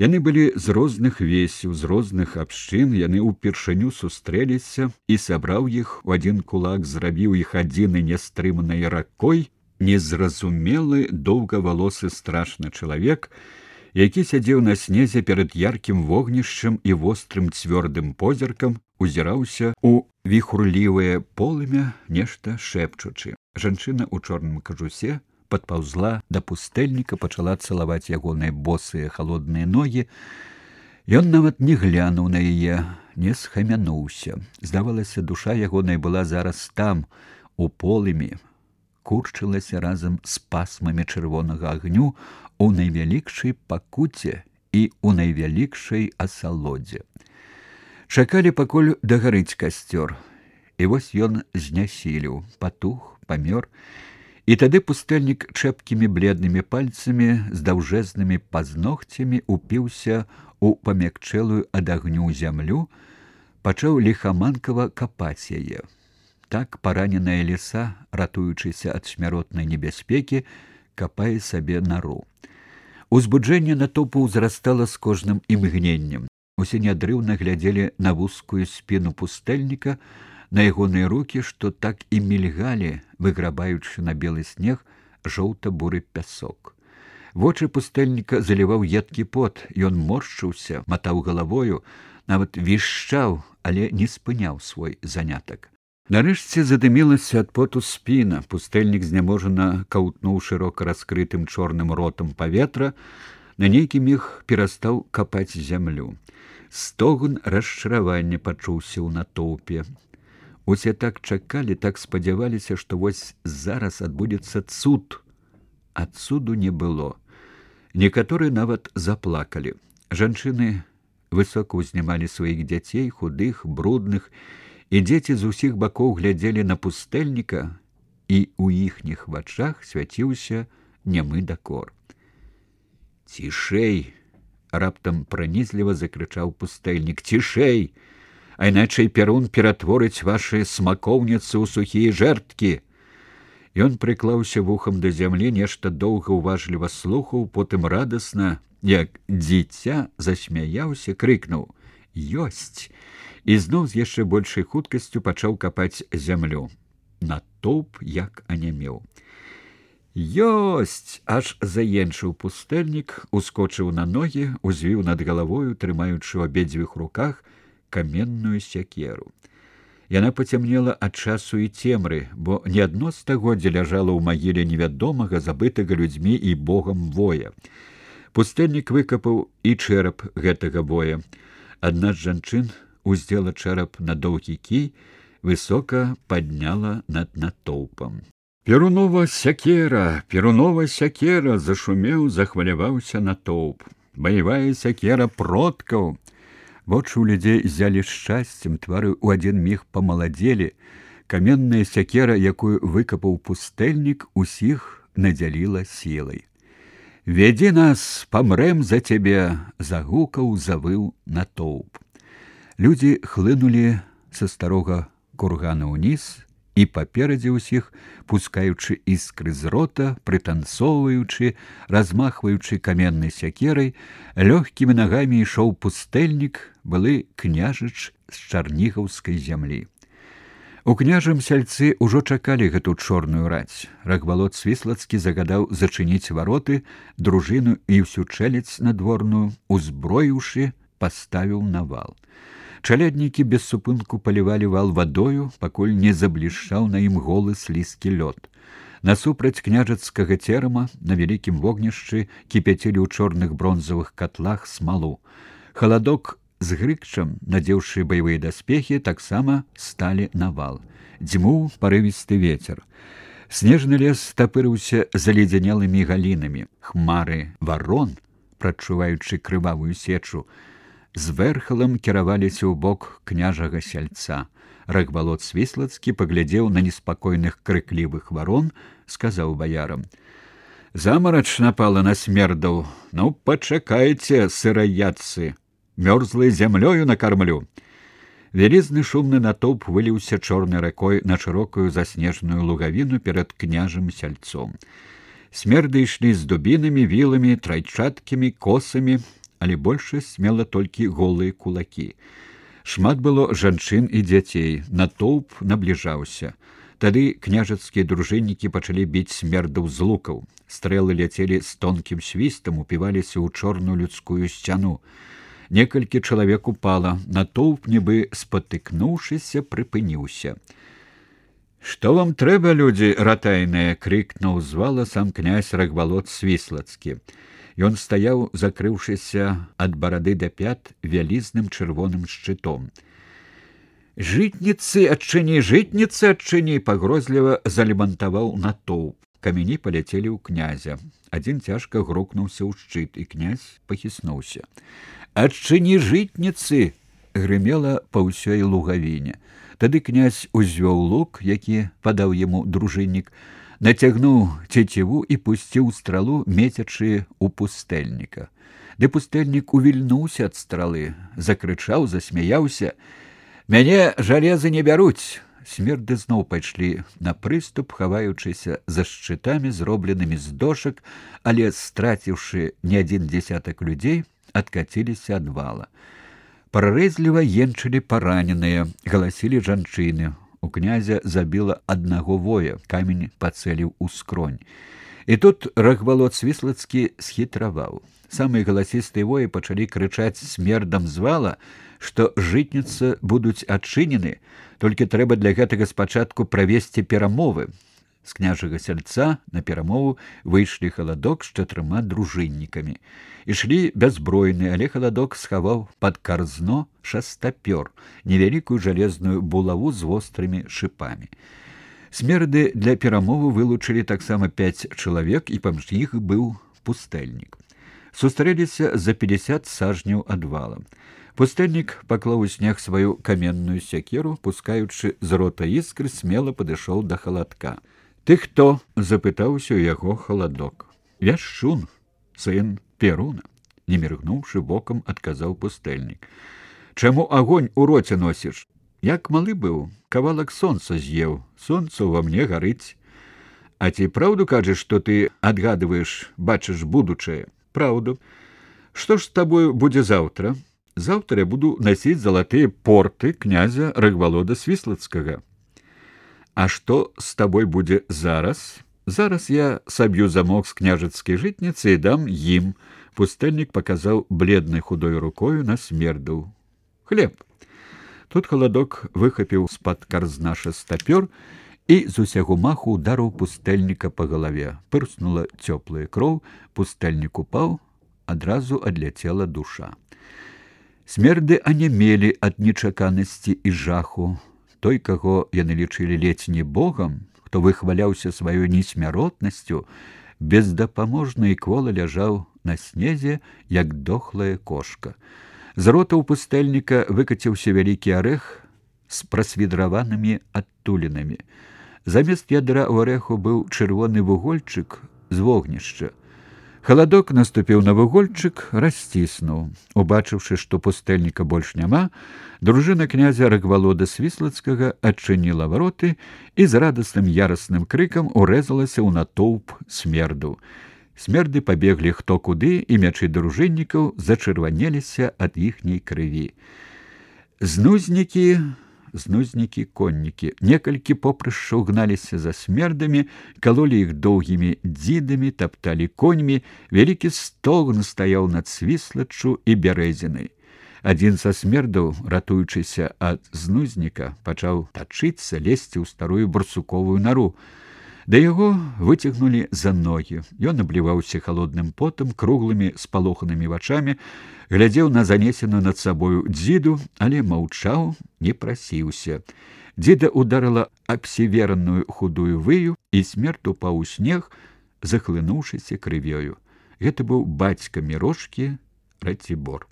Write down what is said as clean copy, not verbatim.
Яны былі з розных весяў, з розных абшчын, яны ўпершыню сустрэліся, і сабраў іх у адзін кулак, зрабіў іх адзінай нястрыманай ракой, незразумелы доўгавалосы страшны чалавек, які сядзеў на снезе перад яркім вогнішчам і вострым цвёрдым позіркам узіраўся ў віхурлівае полымя, нешта шэпчучы. Жанчына ў чорным кажусе падпаўзла да пустэльніка, пачала цалаваць ягоныя босыя халодныя ногі. Ён нават не глянуў на яе, не схамянуўся. Здавалася, душа ягоная была зараз там, у полымі, курчылася разам з пасмамі чырвонага агню у найвялікшай пакуце і ў найвялікшай асалодзе. Чакалі, пакуль дагарыць касцёр, і вось ён знясіліў, патух, памёр. І тады пустэльнік чэпкімі бледнымі пальцамі з даўжэзнымі пазногцямі упіўся ў памякчэлую ад агню зямлю, пачаў ліхаманкава капаць яе. Так параненая ліса, ратуючыся ад смяротнай небяспекі, капае сабе нару. Узбуджэнне натоўпу ўзрастала з кожным імгненнем. Усе нядрыўна глядзелі на вузкую спіну пустэльніка, на ягоныя рукі, што так і мільгалі, выграбаючы на белы снег жоўта-буры пясок. Вочы пустэльніка заліваў едкі пот, ён моршчыўся, матаў галавою, нават вішчаў, але не спыняў свой занятак. Нарэшце задымілася ад поту спіна, пустэльнік зняможана каўтнуў шырока раскрытым чорным ротам паветра, на нейкі міг перастаў капаць зямлю. Стогн расчаравання пачуўся ў натоўпе. Усе так чакалі, так спадзяваліся, што вось зараз адбудзецца цуд. А цуду не было. Некаторыя нават заплакалі. Жанчыны высока ўзнімалі сваіх дзяцей, худых, брудных, і дзеці з усіх бакоў глядзелі на пустэльніка, і ў іхніх вачах свяціўся нямы дакор. «Цішэй!» — раптам пранізліва закрычаў пустэльнік. «Цішэй! А іначай Перун ператворыць вашы смакоўніцы ў сухія жэрткі!» Ён прыклаўся вухам да зямлі, нешта доўга ўважліва слухаў, потым радасна, як дзіця, засмяяўся, крыкнуў: «Ёсць!» і зноў з яшчэ большай хуткасцю пачаў капаць зямлю. Натоўп як анямеў. «Ёсць!» — аж заенчыў пустэльнік, ускочыў на ногі, узвіў над галавою, трымаючы ў абедзвюх руках каменную сякеру. Яна пацямнела ад часу і цемры, бо не адно стагоддзя ляжала ў магіле невядомага, забытага людзьмі і богам воя. Пустэльнік выкапаў і чэрап гэтага воя. Адна з жанчын уздзела чэрап на доўгі кій, высока падняла над натоўпам. «Перунова сякера! Перунова сякера!» — зашумеў, захваляваўся натоўп. «Баявая сякера продкаў!» Вочы ў людзей ззялі шчасцем, твары ў адзін міг памаладзелі. Каменная сякера, якую выкапаў пустэльнік, усіх надзяліла сілай. «Вядзі нас, памрэм за цябе!» — загукаў, завыў натоўп. Людзі хлынулі са старога кургана ўніз, і паперадзе ўсіх, пускаючы іскры з рота, прытанцоўваючы, размахваючы каменнай сякерай, лёгкімі нагамі ішоў пустэльнік, былы княжыч з чарнігаўскай зямлі. У княжым сяльцы ўжо чакалі гэту чорную раць. Рагвалод Свіслацкі загадаў зачыніць вароты, дружыну і ўсю чэлядзь надворную, узброіўшы, паставіў на вал. Чаляднікі без супынку палівалі вал вадою, пакуль не заблішчаў на ім голы слізкі лёд. Насупраць княжацкага церама на вялікім вогнішчы кіпяцілі ў чорных бронзавых катлах смалу. Халадок з грыкчам, надзеўшы баявыя даспехі, таксама сталі на вал. Дзьмуў парывісты вецер. Снежны лес тапырыўся заледзянелымі галінамі. Хмары варон, прадчуваючы крывавую сечу, з вэрхалам кіраваліся ў бок княжага сяльца. Рагвалод Свіслацкі паглядзеў на неспакойных крыклівых варон, сказаў баярам: «Замарач напала на смердаў. Ну, пачакайце, сыраяцы, мёрзлай зямлёю накармлю». Вялізны шумны натоўп выліўся чорнай ракой на шырокую заснежаную лугавіну перад княжым сяльцом. Смерды ішлі з дубінамі, віламі, трайчаткамі, косамі, але большасць мела толькі голыя кулакі. Шмат было жанчын і дзяцей, натоўп набліжаўся. Тады княжацкія дружыннікі пачалі біць смердаў з лукаў. Стрэлы ляцелі з тонкім свістам, упіваліся ў чорную людскую сцяну. Некалькі чалавек упала, натоўп, нібы спатыкнуўшыся, прыпыніўся. «Што вам трэба, людзі ратайныя?» — крыкнуў з вала сам князь Рагвалод Свіслацкі. Ён стаяў, закрыўшыся ад барады да пят вялізным чырвоным шчытом. «Жытніцы, адчыні, жытніцы, адчыні!» — пагрозліва залемантаваў натоўп. Камяні паляцелі ў князя. Адзін цяжка грукнуўся ў шчыт, і князь пахіснуўся. «Адчыні, жытніцы!» — грымела па ўсёй лугавіне. Тады князь узвёў лук, які падаў яму дружыннік, нацягнуў цеціву і пусціў стралу, мецячы ў пустэльніка. Ды пустэльнік увільнуўся ад стралы, закрычаў, засмяяўся. «Мяне жалезы не бяруць!» Смерды зноў пайшлі на прыступ, хаваючыся за шчытамі, зробленымі з дошак, але, страціўшы не адзін дзесятак людзей, адкаціліся ад вала. Прарэзліва енчылі параненыя, галасілі жанчыны. У князя забіла аднаго воя, камень пацэліў у скронь. І тут Рагвалод Свіслацкі схітраваў. Самыя галасістыя воі пачалі крычаць смердам з вала, што жытніцы будуць адчынены, толькі трэба для гэтага спачатку правесці перамовы. З княжага сяльца на перамову выйшлі Халадок з 4 дружыннікамі. Ішлі бяззбройны, але Халадок схаваў пад карзно шастапёр, невялікую жалезную булаву з вострымі шыпамі. Смерды для перамовы вылучылі таксама 5 чалавек, і паміж іх быў пустэльнік. Сустрэліся за 50 сажняў ад вала. Пустэльнік паклаў у снег сваю каменную сякеру, пускаючы з рота іскры, смела падышоў да Халадка. «Ты хто?» — запытаўся ў яго Халадок. «Я Шчун, сын Перуна», — не міргнуўшы бокам, адказаў пустэльнік. «Чаму агонь у роце носіш? Як малы быў, кавалак сонца з'еў, сонца ўва мне гарыць. А ці праўду кажаш, што ты адгадваеш, бачыш будучае?» «Праўду. Што ж з табою будзе заўтра?» «Заўтра я буду насіць залатыя порты князя Рагвалода Свіслацкага». «А што з табой будзе зараз?» «Зараз я саб'ю замок з княжацкай жытніцы і дам ім». Пустэльнік паказаў бледнай худой рукою на смердаў. «Хлеб». Тут Халадок выхапіў з-пад карзна шастапёр і з усяго маху ударыў пустэльніка па галаве. Пырснула цёплая кроў, пустэльнік упаў, адразу адляцела душа. Смерды анямелі ад нечаканасці і жаху. Той, каго яны лічылі ледзь не богам, хто выхваляўся сваёй несмяротнасцю, бездапаможна і квола ляжаў на снезе, як дохлая кошка. З рота ў пустэльніка выкаціўся вялікі арэх з прасвідраванымі адтулінамі. Замест ядра ў арэху быў чырвоны вугольчык з вогнішча. Халадок наступіў на вугольчык, расціснуў. Убачыўшы, што пустэльніка больш няма, дружына князя Рагвалода Свіслацкага адчыніла вароты і з радасным ярасным крыкам урэзалася ў натоўп смерду. Смерды пабеглі хто куды, і мячы дружыннікаў зачырванеліся ад іхняй крыві. Знузнікі, коннікі. Некалькі попрышчаў гналіся за смердамі, калолі іх доўгімі дзідамі, тапталі коньмі, вялікі стогн стаяў над Свіслаччу і бярэзінай. Адзін са смердаў, ратуючыся ад знузніка, пачаў тачыцца, лезці ў старую барсуковую нару. Да яго выцягнулі за ногі. Ён абліваўся халодным потам, круглымі спалоханымі вачамі, глядзеў на занесеную над сабою дзіду, але маўчаў, не прасіўся. Дзіда ударыла абсівераную худую выю, і смерд упаў у снег, захлынуўшыся крывёю. Гэта быў бацька Мірошкі Ратибор.